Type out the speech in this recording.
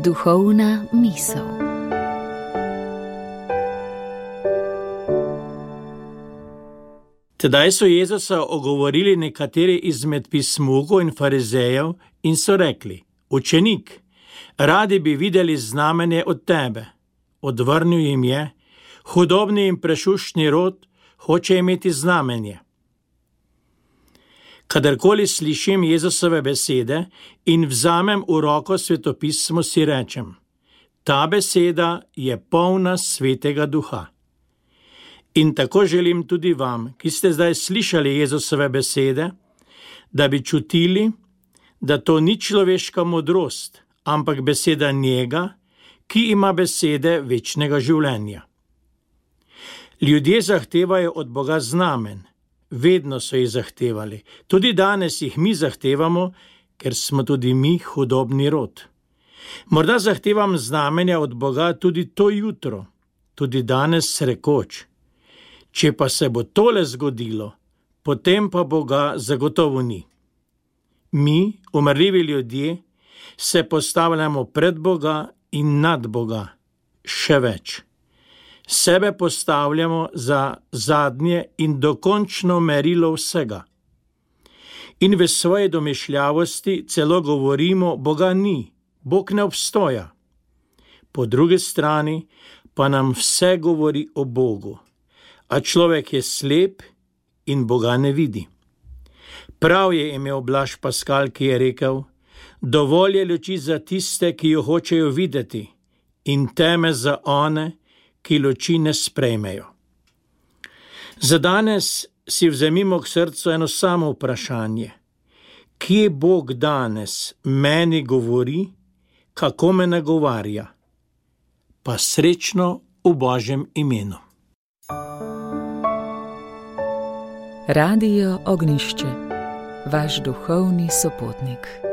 Duhovna misel. Tedaj so Jezusa ogovorili nekateri izmed pismukov in farizejev in so rekli: Učenik, radi bi videli znamenje od tebe. Odvrnil jim je: hudobni in prešuštni rod hoče imeti znamenje. Kadarkoli slišim Jezusove besede in vzamem v roko svetopismo, si rečem: ta beseda je polna Svetega Duha. In tako želim tudi vam, ki ste zdaj slišali Jezusove besede, da bi čutili, da to ni človeška modrost, ampak beseda njega, ki ima besede večnega življenja. Ljudje zahtevajo od Boga znamen. Vedno so jih zahtevali. Tudi danes jih mi zahtevamo, ker smo tudi mi hudobni rod. Morda zahtevam znamenja od Boga tudi to jutro, tudi danes rekoč: če pa se bo tole zgodilo, potem pa Boga zagotovo ni. Mi, umrljivi ljudje, se postavljamo pred Boga in nad Boga. Še več. Sebe postavljamo za zadnje in dokončno merilo vsega. In v svoji domišljavosti celo govorimo: Boga ni, Bog ne obstoja. Po drugi strani pa nam vse govori o Bogu, a človek je slep in Boga ne vidi. Prav je imel Blaž Paskal, ki je rekel: dovolj je luči za tiste, ki jo hočejo videti, in teme za one, ki luči ne sprejmejo. Za danes si vzemimo k srcu eno samo vprašanje: kje Bog danes meni govori, kako me nagovarja? Pa srečno v Božjem imenu. Radio Ognjišče, vaš duhovni sopotnik.